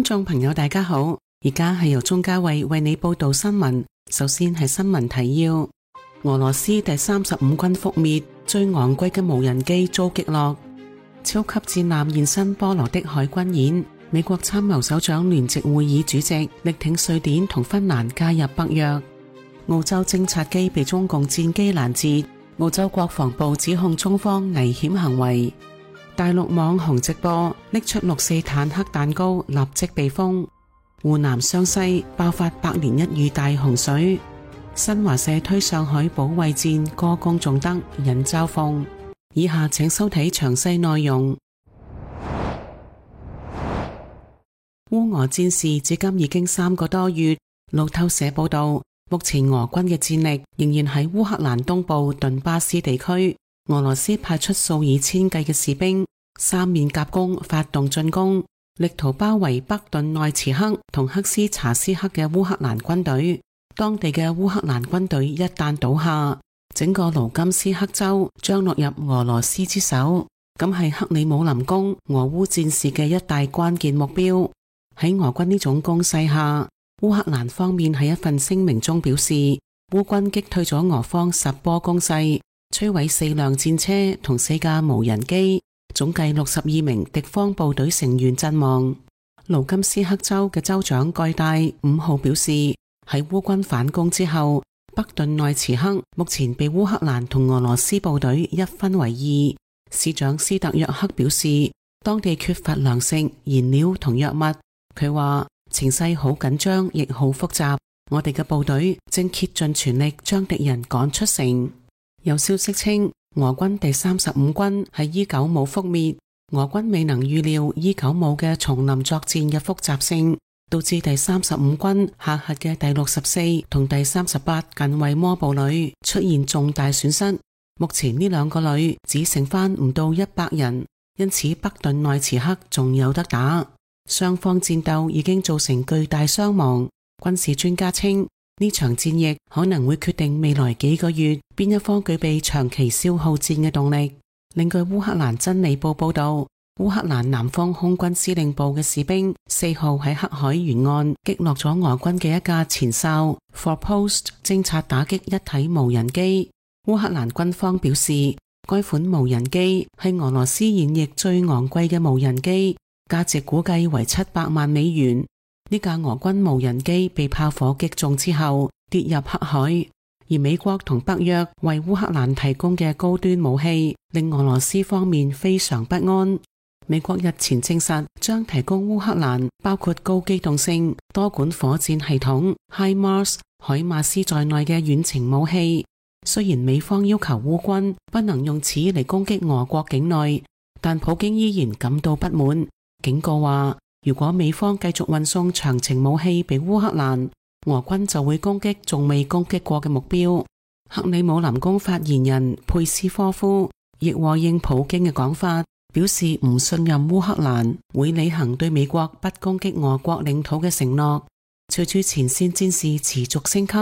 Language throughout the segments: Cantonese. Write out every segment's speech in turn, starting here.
觀眾朋友大家好，而家係由鍾嘉慧為你報道新聞。首先係新聞提要：俄羅斯第35軍覆滅，最昂貴嘅無人機遭擊落；超級戰艦現身波羅的海軍演；美國參謀首長聯席會議主席力挺瑞典同芬蘭加入北約；澳洲偵察機被中共戰機攔截，澳洲國防部指控中方危險行為。大陸網紅直播拎出6·4坦克彈膏，立即被封。湖南湘西爆發百年一遇大洪水。新華社推上海保衛戰，歌功頌德，引嘲諷。以下請收睇詳細內容。烏俄戰事至今已經3個多月。路透社報道，目前俄軍嘅戰力仍然喺烏克蘭東部頓巴斯地區。俄羅斯派出數以千計嘅士兵，三面夾攻發動進攻，力圖包圍北頓內茨克同克斯查斯克嘅烏克蘭軍隊。當地嘅烏克蘭軍隊一旦倒下，整個盧甘斯克州將落入俄羅斯之手，咁係克里姆林宮俄烏戰事嘅一大關鍵目標。喺俄軍呢種攻勢下，烏克蘭方面喺一份聲明中表示，烏軍擊退咗俄方10波攻勢，摧毀4輛戰車同4架無人機，總計62名敵方部隊成員陣亡。盧甘斯克州嘅州長蓋戴5號表示，喺烏軍反攻之後，北頓內茨克目前被烏克蘭同俄羅斯部隊一分為二。市長斯特約克表示，當地缺乏糧食、燃料同藥物。佢話情勢好緊張，亦好複雜，我哋嘅部隊正竭盡全力將敵人趕出城。有消息稱，俄軍第35軍喺伊久姆覆滅，俄軍未能預料伊久姆嘅叢林作戰嘅複雜性，導致第35軍下轄嘅第64同第38近衛摩步旅出現重大損失。目前呢兩個旅只剩翻唔到100人，因此北頓內茨克仲有得打。雙方戰鬥已經造成巨大傷亡。軍事專家稱，呢場戰役可能會決定未來幾個月邊一方具備長期消耗戰嘅動力。另據烏克蘭真理報報道，烏克蘭南方空軍司令部嘅士兵4號喺黑海沿岸擊落咗俄軍嘅一架前哨 Forpost 偵察打擊一體無人機。烏克蘭軍方表示，該款無人機係俄羅斯現役最昂貴嘅無人機，價值估計為700萬美元。呢架俄軍無人機被炮火擊中之後跌入黑海，而美國同北約為烏克蘭提供嘅高端武器令俄羅斯方面非常不安。美國日前證實將提供烏克蘭包括高機動性多管火箭系統 HIMARS 海馬斯在內嘅遠程武器。雖然美方要求烏軍不能用此嚟攻擊俄國境內，但普京依然感到不滿，警告話，如果美方繼續運送長程武器俾烏克蘭，俄軍就會攻擊仲未攻擊過嘅目標。克里姆林宮發言人佩斯科夫亦和應普京嘅講法，表示唔信任烏克蘭會履行對美國不攻擊俄國領土嘅承諾。隨住前線戰事持續升級，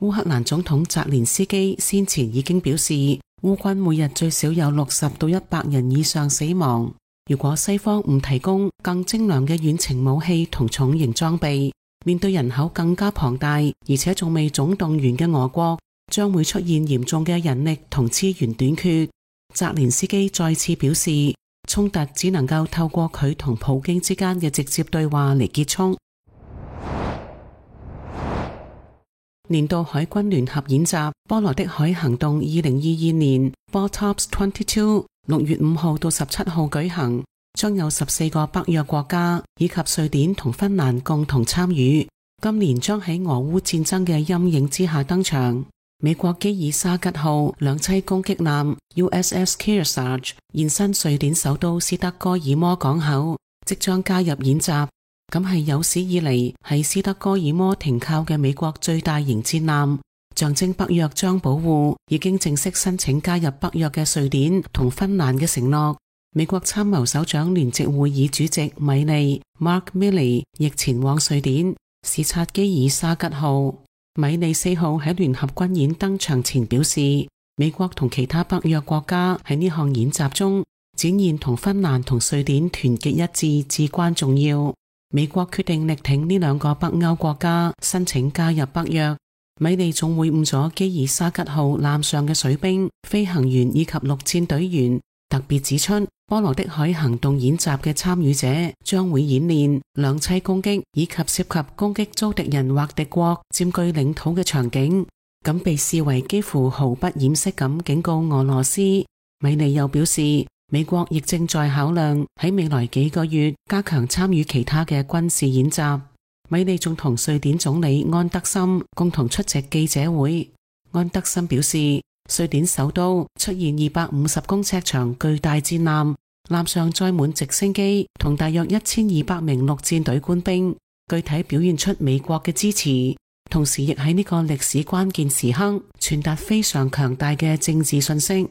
烏克蘭總統澤連斯基先前已經表示，烏軍每日最少有60到100人以上死亡。如果西方唔提供更精良嘅遠程武器同重型裝備，面對人口更加龐大而且仲未總動員嘅俄國，將會出現嚴重嘅人力同資源短缺。澤連斯基再次表示，衝突只能夠透過佢同普京之間嘅直接對話嚟結束。年度海軍聯合演習波羅的海行動2022年 BOTOPS 22 6月5號到17號舉行，將有14個北約國家以及瑞典同芬蘭共同參與。今年將喺俄烏戰爭嘅陰影之下登場。美國基爾沙吉號兩棲攻擊艦 USS Kearsarge 現身瑞典首都斯德哥爾摩港口，即將加入演習。咁係有史以嚟喺斯德哥爾摩停靠嘅美國最大型戰艦，象徵北約將保護已經正式申請加入北約嘅瑞典同芬蘭嘅承諾。美國參謀首長聯席會議主席米利 Mark Milley 亦前往瑞典視察基爾沙吉號。米利4號喺聯合軍演登場前表示，美國同其他北約國家喺呢項演習中展現同芬蘭同瑞典團結一致至關重要。美國決定力挺呢兩個北歐國家申請加入北約。米利仲會晤咗基爾沙吉號艦上嘅水兵、飛行員以及陸戰隊員，特別指出波羅的海行動演習嘅參與者將會演練兩棲攻擊以及涉及攻擊遭敵人或敵國佔據領土嘅場景，咁被視為幾乎毫不掩飾咁警告俄羅斯。米利又表示，美國亦正在考量喺未來幾個月加強參與其他嘅軍事演習。米利仲同瑞典總理安德森共同出席記者會。安德森表示，瑞典首都出現250公尺長巨大戰艦，艦上載滿直升機同大約1200名陸戰隊官兵，具體表現出美國嘅支持，同時亦喺呢個歷史關鍵時刻傳達非常強大嘅政治信息。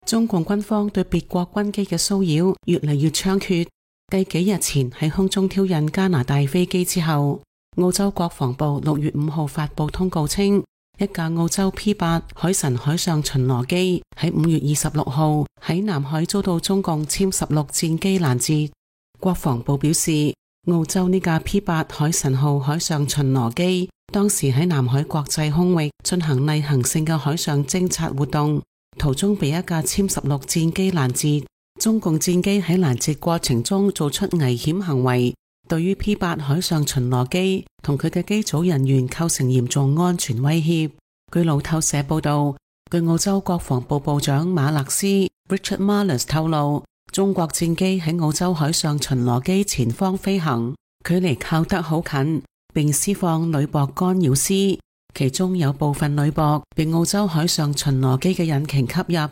中共軍方對別國軍機嘅騷擾越嚟越猖獗。繼幾日前喺空中挑釁加拿大飛機之後，澳洲國防部6月5號發布通告稱，一架澳洲 P8 海神海上巡邏機喺5月26號喺南海遭到中共殲16戰機攔截。國防部表示，澳洲呢架 P8 海神號海上巡邏機當時喺南海國際空域進行例行性嘅海上偵察活動，途中被一架殲16戰機攔截。中共戰機喺攔截過程中做出危險行為，對於 P8 海上巡邏機同佢嘅機組人員構成嚴重安全威脅。據路透社報道，據澳洲國防部部長馬勒斯 Richard Marles 透露，中國戰機喺澳洲海上巡邏機前方飛行，距離靠得好近，並施放鋁箔干擾絲，其中有部分鋁箔被澳洲海上巡邏機嘅引擎吸入。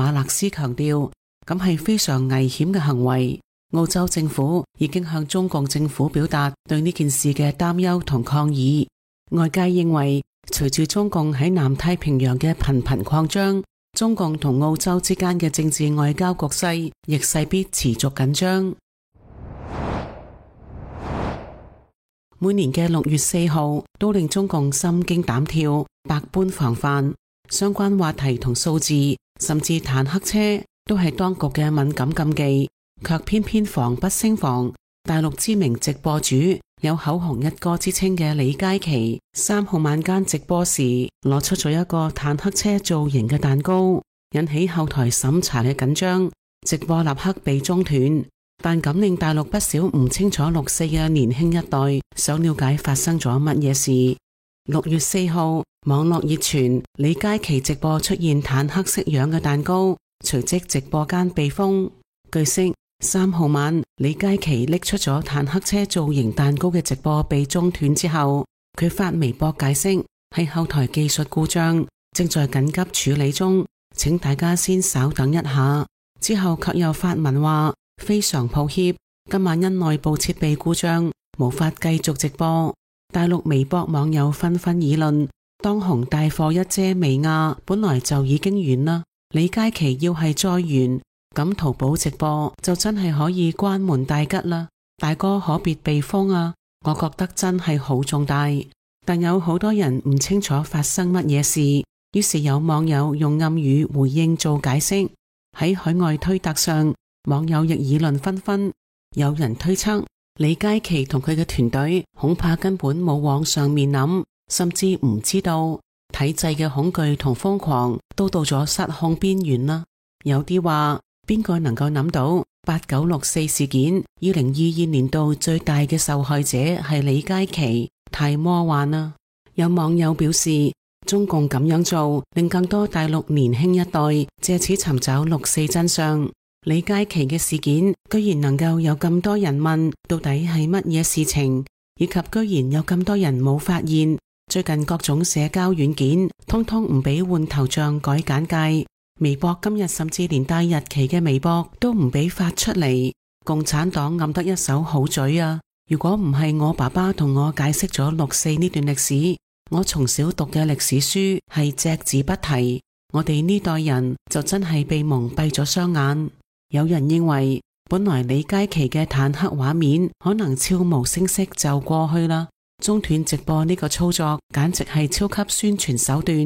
馬勒斯強調，咁係非常危險嘅行為。澳洲政府已經向中共政府表達對呢件事嘅擔憂同抗議。外界認為，隨住中共喺南太平洋嘅頻頻擴張，中共同澳洲之間嘅政治外交局勢亦勢必持續緊張。每年嘅6月4號都令中共心驚膽跳，百般防範。相關話題同數字，甚至坦克車都係當局嘅敏感禁忌，卻偏偏防不勝防。大陸知名直播主有口紅一哥之稱嘅李佳琦，3號晚間直播時攞出咗一個坦克車造型嘅蛋糕，引起後台審查嘅緊張，直播立刻被中斷。但咁令大陸不少唔清楚6·4嘅年輕一代想了解發生咗乜嘢事。6月4號，網絡熱傳李佳琦直播出現坦克式樣嘅蛋糕，隨即直播間被封。據悉，3號晚李佳琦拎出咗坦克車造型蛋糕嘅直播被中斷之後，佢發微博解釋係後台技術故障，正在緊急處理中，請大家先稍等一下。之後卻又發文話非常抱歉，今晚因內部設備故障無法繼續直播。大陸微博網友紛紛議論，當紅帶貨一姐薇婭本來就已經完啦，李佳琦要係再完，咁淘寶直播就真係可以關門大吉啦，大哥可別被封啊！我覺得真係好重大，但有好多人唔清楚發生乜嘢事，於是有網友用暗語回應做解釋。喺海外推特上，網友亦議論紛紛，有人推測李佳琦同佢嘅團隊恐怕根本冇往上面諗，甚至唔知道體制嘅恐懼同瘋狂都到咗失控邊緣啦。有啲話，邊個能夠諗到8964事件2022年度最大嘅受害者係李佳琦，太魔幻啦。有網友表示，中共咁樣做令更多大陸年輕一代借此尋找6·4真相。李佳琦嘅事件居然能夠有咁多人問到底係乜嘢事情，以及居然有咁多人冇發現最近各種社交軟件通通唔俾換頭像改簡介，微博今日甚至連帶日期嘅微博都唔俾發出嚟。共產黨暗得一手好嘴啊！如果唔係我爸爸同我解釋咗6·4呢段歷史，我從小讀嘅歷史書係隻字不提，我哋呢代人就真係被蒙蔽咗雙眼。有人認為，本來李佳琦嘅坦克畫面可能悄無聲息就過去啦，中斷直播呢個操作簡直係超級宣傳手段。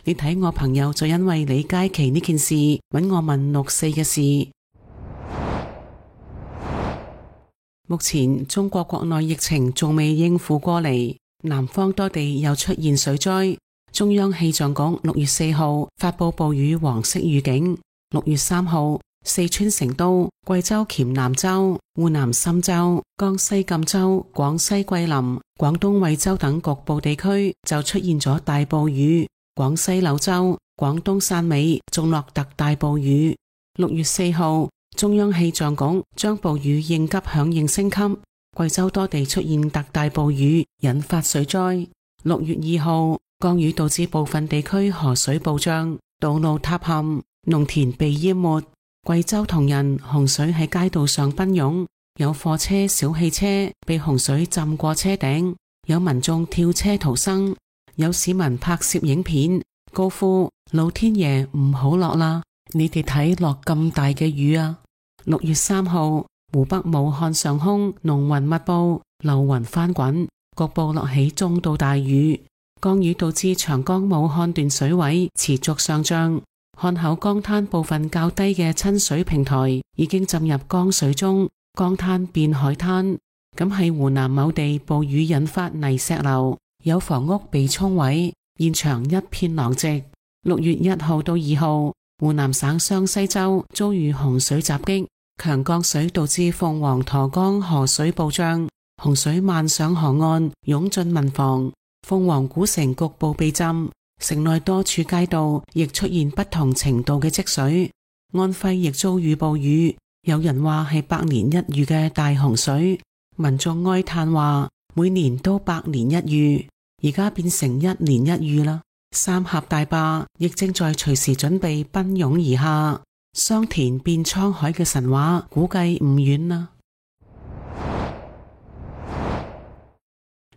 你睇我朋友就因為李佳琦呢件事揾我問6·4嘅事。目前中國國內疫情仲未應付過嚟，南方多地又出現水災。中央氣象局6月4號發佈暴雨黃色預警。6月3號，四川成都、貴州黔南州、湖南嵊州、江西贛州、廣西桂林、廣東惠州等局部地區就出現咗大暴雨。廣西柳州、廣東汕尾仲落特大暴雨。6月4號，中央氣象局將暴雨應急響應升級，貴州多地出現特大暴雨，引發水災。6月2號，降雨導致部分地區河水暴漲，道路塌陷，農田被淹沒。貴州銅仁洪水喺街道上奔湧，有貨車、小汽車被洪水浸過車頂，有民眾跳車逃生，有市民拍攝影片，高呼老天爺唔好落啦，你哋睇落咁大嘅雨啊！6月3號，湖北武漢上空濃雲密布，流雲翻滾，局部落起中到大雨。降雨導致長江武漢段水位持續上漲，漢口江灘部分較低嘅親水平台已經浸入江水中，江灘變海灘。咁喺湖南某地暴雨引發泥石流，有房屋被沖毀，現場一片狼藉。6月1號到2號，湖南省湘西州遭遇洪水襲擊，強降水導致鳳凰沱江河水暴漲，洪水漫上河岸，湧進民房。鳳凰古城局部被浸，城內多處街道亦出現不同程度嘅積水。安徽亦遭遇暴雨，有人話係百年一遇嘅大洪水，民眾哀嘆話每年都百年一遇，而家變成一年一遇啦。三峽大壩亦正在隨時準備奔湧而下，桑田變滄海嘅神話估計唔遠啦。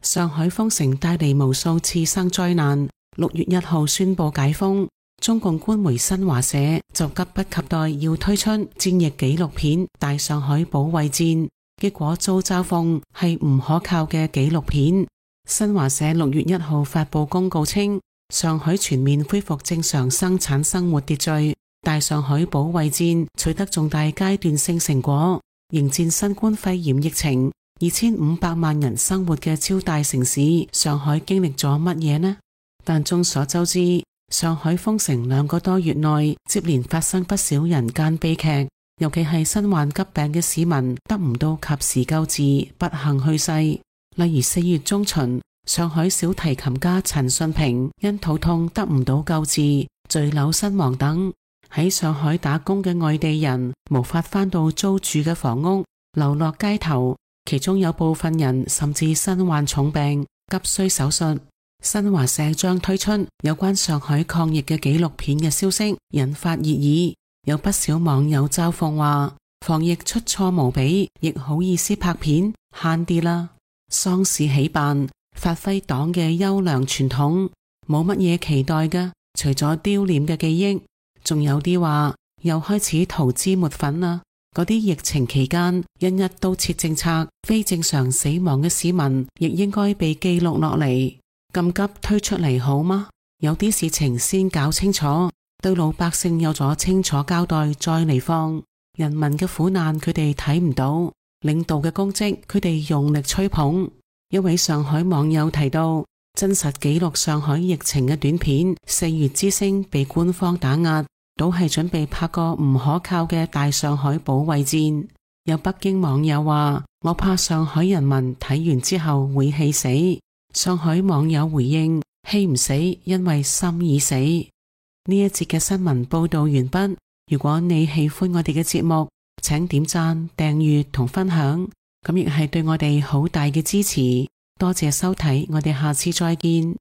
上海封城帶嚟無數次生災難，6月1號宣布解封，中共官媒新華社就急不及待要推出戰役紀錄片《大上海保衛戰》，結果遭嘲諷係唔可靠嘅紀錄片。新華社6月1號發佈公告稱，上海全面恢復正常生產生活秩序，大上海保衛戰取得重大階段性成果，迎戰新冠肺炎疫情。2500萬人生活嘅超大城市上海經歷咗乜嘢呢？但眾所周知，上海封城2個多月內接連發生不少人間悲劇，尤其係身患急病嘅市民得唔到及時救治，不幸去世。例如4月中旬，上海小提琴家陳信平因肚痛得唔到救治，墜樓身亡等。喺上海打工嘅外地人無法返到租住嘅房屋，流落街頭。其中有部分人甚至身患重病，急需手術。新華社將推出有關上海抗疫嘅紀錄片嘅消息，引發熱議。有不少網友嘲諷話，防疫出錯無比，亦好意思拍片，慳啲啦。喪事喜辦，發揮黨嘅優良傳統，冇乜嘢期待㗎，除咗丟臉嘅記憶。仲有啲話又開始塗脂抹粉啦。嗰啲疫情期間因一刀切政策非正常死亡嘅市民，亦應該被記錄落嚟。咁急推出嚟好嗎？有啲事情先搞清楚，對老百姓有咗清楚交代再嚟放。人民嘅苦難佢哋睇唔到，領導嘅功績佢哋用力吹捧。一位上海網友提到，真實記錄上海疫情嘅短片《4月之聲》被官方打壓，都係準備拍個唔可靠嘅大上海保衛戰。有北京網友話，我怕上海人民睇完之後會氣死。上海網友回應，氣唔死，因為心已死。呢一節嘅新聞報道完畢。如果你喜歡我哋嘅節目，請點讚、訂閱同分享，咁亦係對我哋好大嘅支持。多謝收睇，我哋下次再見。